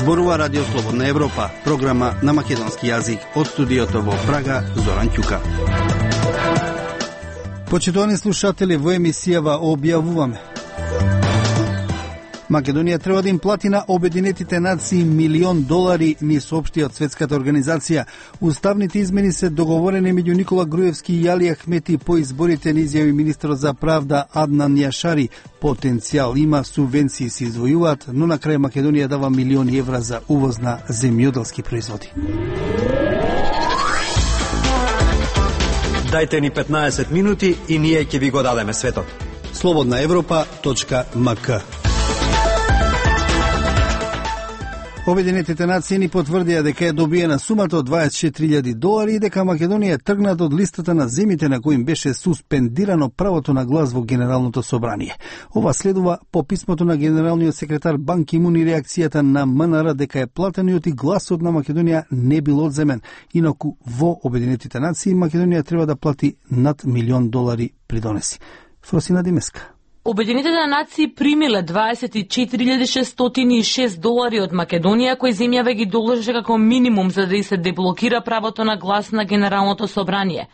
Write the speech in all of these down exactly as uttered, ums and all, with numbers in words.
Зборува Радио Слободна Европа, програма на македонски јазик од студиото во Прага, Зоран Ќука. Почитувани слушатели, во емисијава објавуваме: Македонија треба да им плати на Обединетите нации милион долари, ни соопшти од Светската организација. Уставните измени се договорени меѓу Никола Груевски и Али Ахмети по изборите, ни изјави министерот за правда Аднан Јашари. Потенцијал има, субвенции се издвојуваат, но на крај Македонија дава милиони евра за увоз на земјоделски производи. Дајте ни петнаесет минути и ние ќе ви го дадеме светот. слободна европа точка ем ка. Обединетите нации ни потврдија дека е добиена сумата од дваесет и четири илјади долари и дека Македонија тргнат од листата на земите на кои им беше суспендирано правото на глас во Генералното собрание. Ова следува по писмото на генералниот секретар Бан Ки Мун и реакцијата на Ем Ен Ар дека е платениот и гласот на Македонија не бил одземен. Инаку во Обединетите нации Македонија треба да плати над милион долари придонеси. Фросина Димеска. Обединетите нации примиле дваесет и четири илјади шестстотини и шест долари од Македонија, кои земјава ги должи како минимум за да и се деблокира правото на глас на Генералното собрание.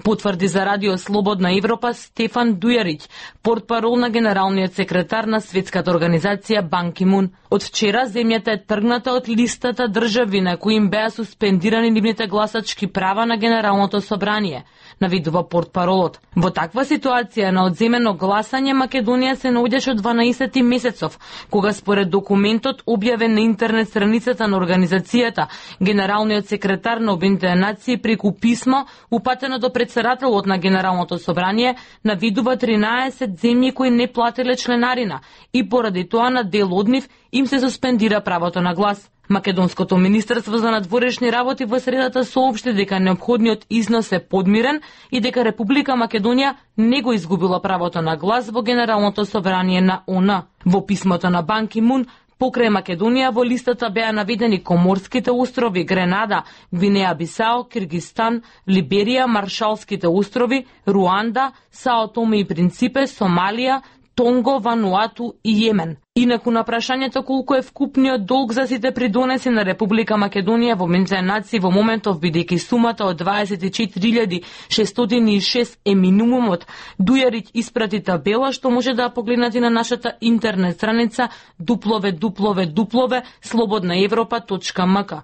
Потврди за Радио Слободна Европа Стефан Дујарич, портпарол на генералниот секретар на Светската организација Бан Ки Мун. Од вчера земјата е тргната од листата држави на кои им беа суспендирани нивните гласачки права на Генералното собрание, навидува портпаролот. Во таква ситуација на одземено гласање Македонија се наоѓаше од дванаесети месецов, кога според документот објавен на интернет страницата на организацијата, генералниот секретар на Обединетите нации преку писмо упатено до претседателот на Генералното собрание навидува тринаесет земји кои не платиле членарина и поради тоа на дел од нив им се суспендира правото на глас. Македонското министерство за надворешни работи во средата соопшти дека неопходниот износ е подмирен и дека Република Македонија не го изгубила правото на глас во Генералното собрание на О Н. Во писмото на Бан Ки Мун, покрај Македонија во листата беа наведени Коморските острови, Гренада, Гвинеја Бисао, Киргистан, Либерија, Маршалските острови, Руанда, Сао Томе и Принципе, Сомалија, Тонго, Вануату и Јемен. Инаку на прашањето колку е вкупниот долг за сите придонеси на Република Македонија во Обединетите нации во моментов, бидејќи сумата од дваесет и четири илјади шестстотини и шест е минимумот, Дујарич испрати табела што може да погледнете на нашата интернет страница дабл ю дабл ю дабл ю точка слободна европа точка ем ка.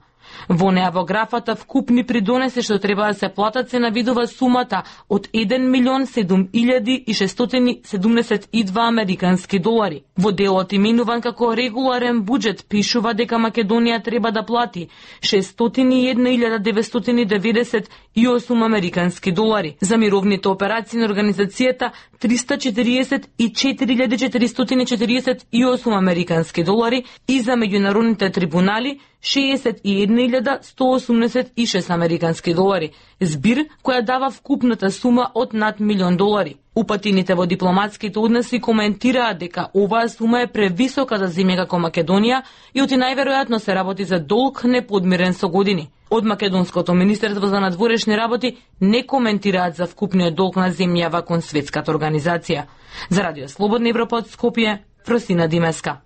Во неа во графата вкупни придонеси што треба да се платат се навидува сумата од еден милион седум илјади и шестстотини седумдесет и два американски долари. Во делот именуван како регуларен буџет пишува дека Македонија треба да плати шестстотини и една илјада деветстотини деветдесет и осум американски долари, за мировните операции на организацијата триста четириесет и четири илјади четиристотини четириесет и осум американски долари и за меѓународните трибунали шеесет и една илјада сто осумдесет и шест американски долари, збир која дава вкупната сума од над милион долари. Упатените во дипломатските односи коментираат дека оваа сума е превисока за земја како Македонија и оти најверојатно се работи за долг неподмирен со години. Од Македонското министерство за надворешни работи не коментираат за вкупниот долг на земјава кон Светската организација. За Радио Слободна Европа од Скопје, Фросина Димеска.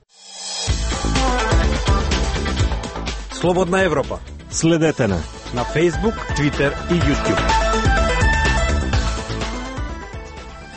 Слободна Европа. Следете на на Facebook, Twitter и YouTube.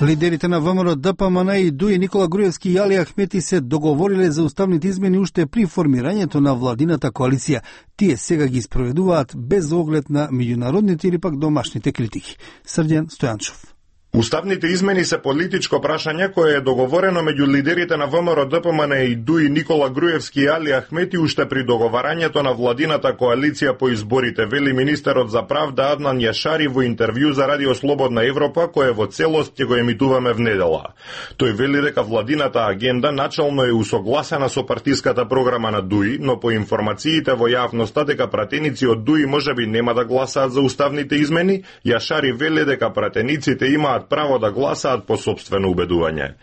Лидерите на ВМРО, Д П М Н и Д У И Никола Груевски и Али Ахмети се договориле за уставните измени уште при формирањето на владината коалиција. Тие сега ги спроведуваат без оглед на меѓународните или пак домашните критики. Срđan Стојанчов. Уставните измени се политичко прашање кое е договорено меѓу лидерите на ВМРО, Д П М Н и Д У И Никола Груевски и Али Ахмети уште при договарањето на владината коалиција по изборите, вели министерот за правда Аднан Јашари во интервју за Радио Слободна Европа, кое во целост ќе го емитуваме внедела. Тој вели дека владината агенда начално е усогласена со партиската програма на Д У И, но по информациите во јавноста дека пратеници од Д У И можеби нема да гласаат за уставните измени, Јашари вели дека пратениците имаат право да гласаат по сопствено убедување.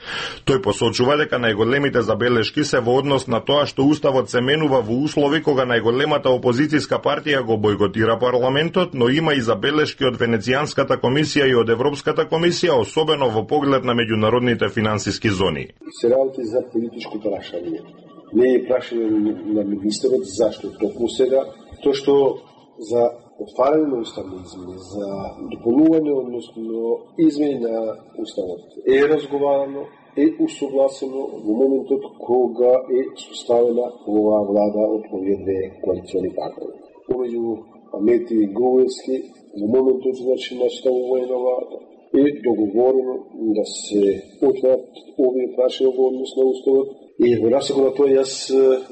Тој посочува дека најголемите забелешки се во однос на тоа што уставот се менува во услови кога најголемата опозицијска партија го бойкотира парламентот, но има и забелешки од Венецијанската комисија и од Европската комисија, особено во поглед на меѓународните финансиски зони. Се работи за политичко прашање. Не е прашање на министерот зашто токму сега, тоа што за отварање на уставни измени, за дополнување, односно измени на уставот е разговарано, е усогласено во моментот кога е составена оваа влада од овие две коалициони партнери. Помеѓу Амети и Груевски, во моментот значи наставување на влада, е договорено да се отворат овие прашања во однос на уставот и во насока на тоа јас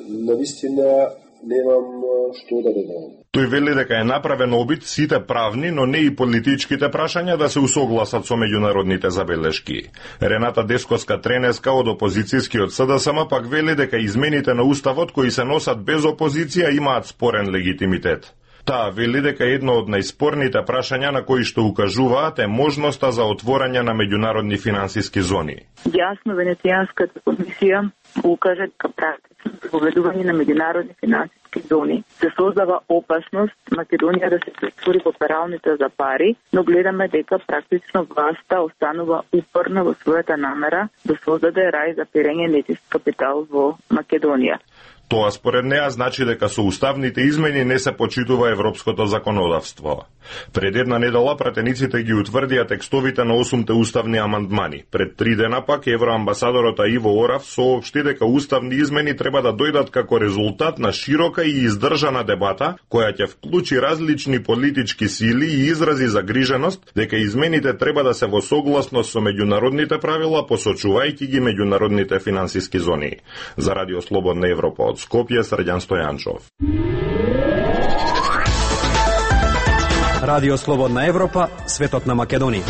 навистина немам што да додам. Тој вели дека е направен обид сите правни, но не и политичките прашања да се усогласат со меѓународните забелешки. Рената Десковска-Тренеска од опозицијскиот СДСМ пак вели дека измените на уставот кои се носат без опозиција имаат спорен легитимитет. Таа вели дека едно од најспорните прашања на кои што укажуваат е можноста за отворање на меѓународни финансиски зони. Јасно Венецијанската комисија укажа дека практично поведување на меѓународни финансиски зони се создава опасност Македонија да се претвори во пералница за пари, но гледаме дека практично власта останува упорна во својата намера да создаде рај за перење нечист капитал во Македонија. Тоа според неа значи дека со уставните измени не се почитува европското законодавство. Пред една недела пратениците ги утврдија текстовите на осумте уставни амандмани. Пред три дена пак евроамбасадорот Иво Орав соопшти дека уставни измени треба да дојдат како резултат на широка и издржана дебата која ќе вклучи различни политички сили и изрази загриженост дека измените треба да се во согласност со меѓународните правила, посочувајќи ги меѓународните финансиски зони. За Радио Слободна Европа од Скопје, Срđan Стојанчов. Радио Слободна Европа, светот на Македонија.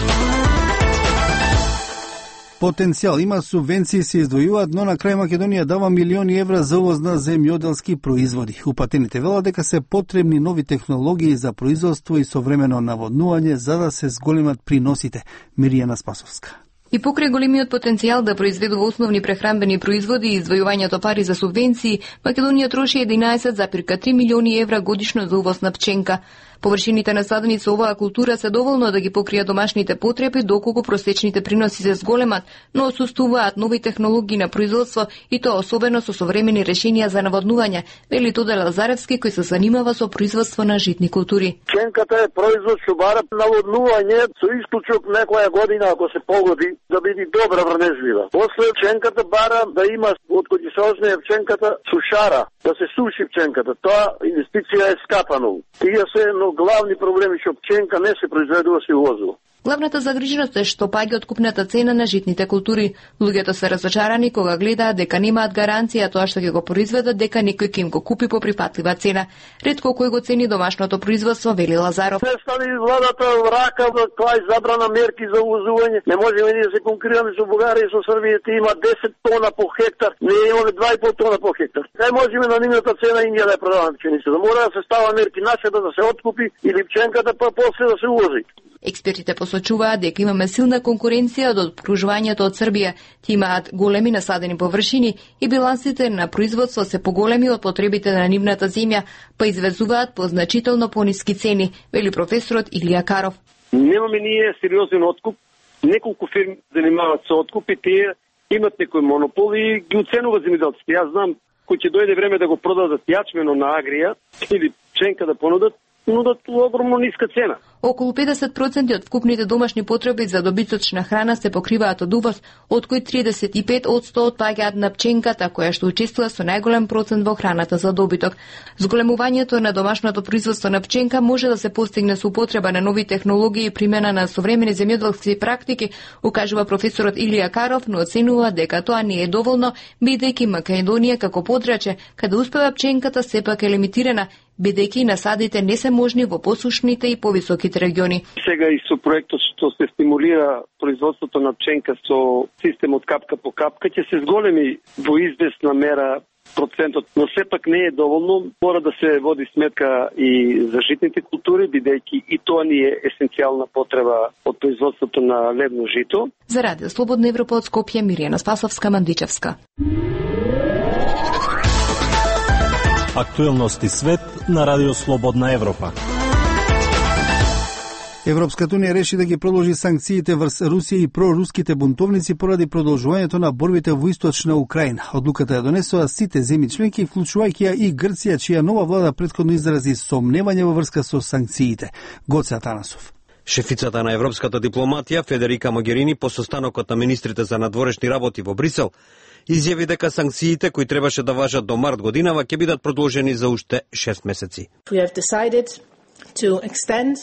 Потенцијал има, субвенции се издвојуваат, но на крај Македонија дава милиони евра за увоз на земјоделски производи. Упатените велат дека се потребни нови технологии за производство и современо наводнување за да се зголемат приносите. Миријана Спасовска. И покрај големиот потенцијал да произведува основни прехранбени производи и издвојувањето пари за субвенции, Македонија троши единаесет зарез три милиони евра годишно за увоз на пченка. Површините насадени со оваа култура се доволно да ги покријат домашните потреби, доколку просечните приноси се зголемат, но отсуствуваат нови технологии на производство и тоа особено со современи решенија за наводнување, вели Тодор Лазаревски кој се занимава со производство на житни култури. Пченката е производ што бара наводнување со исклучок некоја година ако се погоди да биде добра врнежлива. После пченката бара да има од кој се озне пченката сушара, да се суши пченката. Тоа инвестиција е скапано. Тие се но главни проблеми што пченка не се произведува, се увозува. Главната загриженост е што паѓа откупната цена на житните култури. Луѓето се разочарани кога гледаат дека немаат гаранција тоа што ќе го произведат дека некој ќе им го купи по припатлива цена. Ретко кој го цени домашното производство, вели Лазаров. Не стави владата рака за клај забрана мерки за увозување. Не можеме ние да се конкурираме со Бугарија и со Србија, ти има десет тона по хектар, не имаме два и пол тона по хектар. Не можеме на нивната цена Индија да ја продаваме пченицата. Мора да се става мерки нашата да се откупи или пченката па после да се увози. Експертите посочуваат дека имаме силна конкуренција од обкружувањето од Србија. Ти имаат големи насадени површини и билансите на производство се поголеми од потребите на нивната земја, па извезуваат по значително пониски цени, вели професорот Илија Каров. Немаме ние сериозен откуп. Неколку фирми занимаваат со откуп и тие имат некој монопол и ги оценува земјоделците. Јас знам кој ќе дојде време да го продадат јачмено на Агрија или пченка да понудат, нудат огромно ниска цена. Околу педесет проценти од вкупните домашни потреби за добиточна храна се покриваат од увоз, од кои триесет и пет одсто отпаѓаат на пченката, која што учествува со најголем процент во храната за добиток. Зголемувањето на домашното производство на пченка може да се постигне со употреба на нови технологии и примена на современи земјоделски практики, укажува професорот Илија Каров, но оценува дека тоа не е доволно, бидејќи Македонија како подрачје, каде успева пченката сепак е лимитирана, бидејќи насадите не се можни во посушните и повисоките региони. Сега и со проектот што се стимулира производството на пченка со системот капка по капка ќе се зголеми во известна мера процентот, но сепак не е доволно. Мора да се води сметка и за житните култури, бидејќи и тоа ни е есенцијална потреба од производството на левно жито. За Радио Слободна Европа од Скопје, Миријана Спасовска, Мандичевска. Актуелности свет на Радио Слободна Европа. Европската унија реши да ги продолжи санкциите врз Русија и проруските бунтовници поради продолжувањето на борбите во источна Украина. Одлуката ја донесоа сите земји членки, вклучувајќи ја и Грција, чија нова влада претходно изрази сомневање во врска со санкциите. Гоце Атанасов. Шефицата на европската дипломатија Федерика Могерини по состанокот на министрите за надворешни работи во Брисел изјави дека санкциите кои требаше да важат до март годинава ќе бидат продолжени за уште шест месеци. We have decided to extend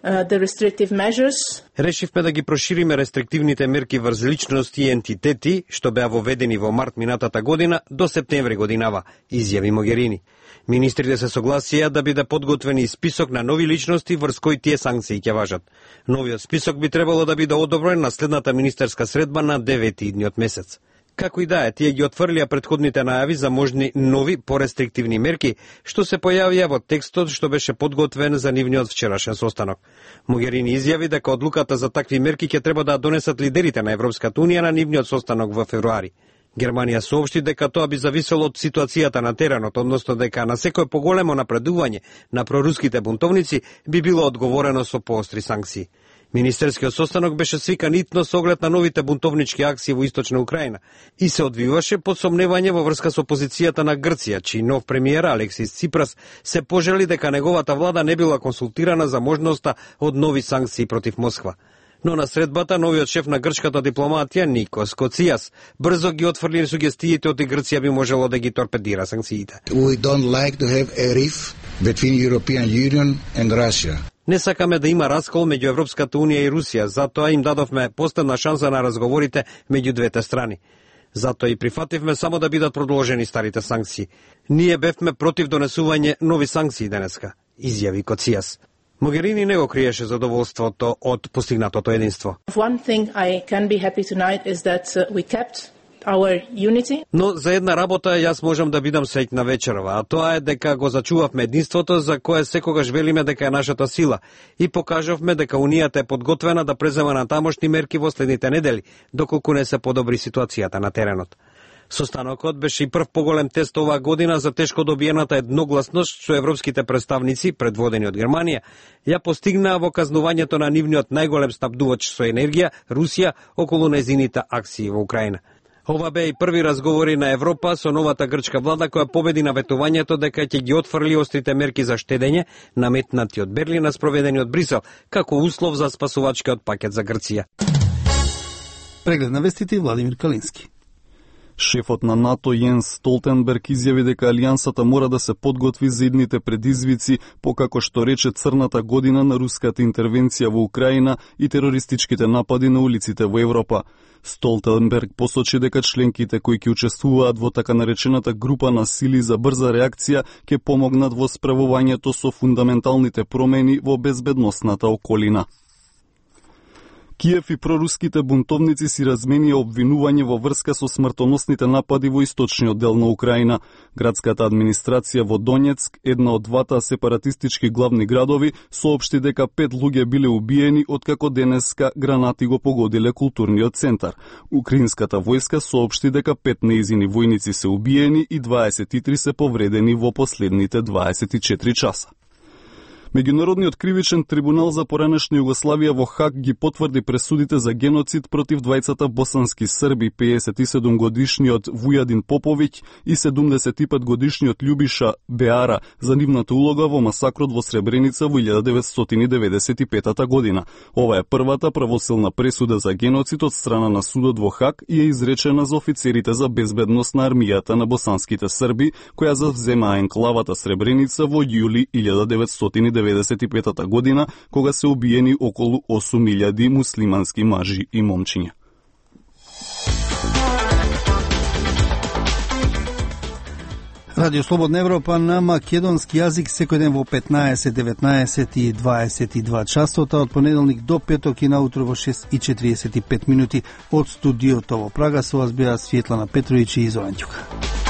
uh, the restrictive measures. Решивме да ги прошириме рестриктивните мерки врз личности и ентитети што беа воведени во март минатата година до септември годинава, изјави Могерини. Министрите се согласија да биде подготвен и список на нови личности врз кои тие санкции ќе важат. Новиот список би требало да биде одобрен на следната министерска средба на девети идниот месец. Како и да е, тие ги отфрлија претходните најави за можни нови порестриктивни мерки, што се појавија во текстот што беше подготвен за нивниот вчерашен состанок. Могерини изјави дека одлуката за такви мерки ќе треба да донесат лидерите на Европската унија на нивниот состанок во февруари. Германија соопшти дека тоа би зависело од ситуацијата на теренот, односно дека на секој поголемо напредување на проруските бунтовници би било одговорено со поостри санкции. Министерскиот состанок беше свикан итно со оглед на новите бунтовнички акции во источна Украина и се одвиваше под сомневање во врска со позицијата на Грција, чиј нов премиер Алексис Ципрас се пожели дека неговата влада не била консултирана за можноста од нови санкции против Москва. Но на средбата новиот шеф на грчката дипломатија Никос Коцијас брзо ги отфрли сугестиите од Грција би можело да ги торпедира санкциите. We don't like to have a rift between European Union and Russia. Не сакаме да има раскол меѓу Европската унија и Русија, затоа им дадовме последна шанса на разговорите меѓу двете страни. Затоа и прифативме само да бидат продолжени старите санкции. Ние бевме против донесување нови санкции денеска, изјави Коцијас. Могерини не го криеше задоволството од постигнатото единство. One thing I can be happy tonight is that we kept our unity. Но за една работа јас можам да бидам среќна вечерва, а тоа е дека го зачувавме единството за кое секогаш велиме дека е нашата сила и покажавме дека Унијата е подготвена да презема на тамошни мерки во следните недели, доколку не се подобри ситуацијата на теренот. Состанокот беше и прв поголем тест оваа година за тешко добиената едногласност што европските представници, предводени од Германија, ја постигнаа во казнувањето на нивниот најголем снабдувач со енергија, Русија, околу незините акции во Украина. Ова беа и први разговори на Европа со новата грчка влада која победи на ветувањето дека ќе ги отфрли острите мерки за штедење, наметнати од Берлин, а спроведени од Брисел, како услов за спасувачкиот пакет за Грција. Преглед на вестите Владимир Калински. Шефот на НАТО Јенс Столтенберг изјави дека алијансата мора да се подготви за идните предизвици, покако што рече црната година на руската интервенција во Украина и терористичките напади на улиците во Европа. Столтенберг посочи дека членките кои ќе учествуваат во така наречената група на сили за брза реакција ќе помогнат во справувањето со фундаменталните промени во безбедносната околина. Киев и проруските бунтовници си разменија обвинување во врска со смртоносните напади во источниот дел на Украина. Градската администрација во Донецк, една од двата сепаратистички главни градови, соопшти дека пет луѓе биле убиени откако денеска гранати го погодиле културниот центар. Украинската војска соопшти дека пет неизини војници се убиени и дваесет и три се повредени во последните дваесет и четири часа. Меѓународниот кривичен трибунал за поранешна Југославија во Хаг ги потврди пресудите за геноцид против двајцата босански срби, пеесет и седум годишниот Вујадин Поповиќ и седумдесет и пет годишниот Љубиша Беара за нивната улога во масакрот во Сребреница во илјада деветстотини деветдесет и петата година. Ова е првата правосилна пресуда за геноцид од страна на судот во Хаг и е изречена за офицерите за безбедност на армијата на босанските срби, која завзема енклавата Сребреница во јули илјада деветстотини деветдесет и петата година, кога се убиени околу осум илјади муслимански мажи и момчиња. Радио Слободна Европа на македонски јазик секој ден во петнаесет, деветнаесет и дваесет и два часот, од понеделник до петок и наутро во шест и четириесет и пет минути од студиото во Прага. Со вас беа Светлана Петровиќ и Зоран Ѓука.